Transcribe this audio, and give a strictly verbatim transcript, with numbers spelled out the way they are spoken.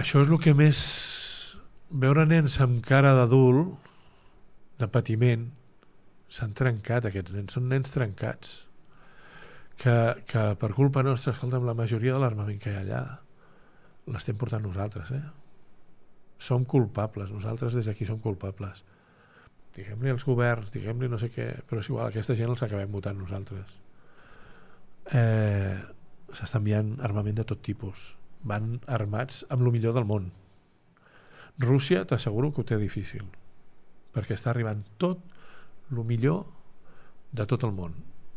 Això és el que més... Veure nens amb cara d'adult, de patiment, s'han trencat aquests nens, són nens trencats. Que, que per culpa nostra, escolta'm, la majoria de l'armament que hi ha allà l'estem portant nosaltres, eh? Som culpables, nosaltres des d'aquí som culpables. Diguem-li als governs, diguem-li no sé què, però és igual, aquesta gent els acabem votant nosaltres. Eh, S'està enviant armament de tot tipus. Van armats amb el millor del món. Rússia t'asseguro que ho té difícil, perquè està arribant tot el millor de tot el món.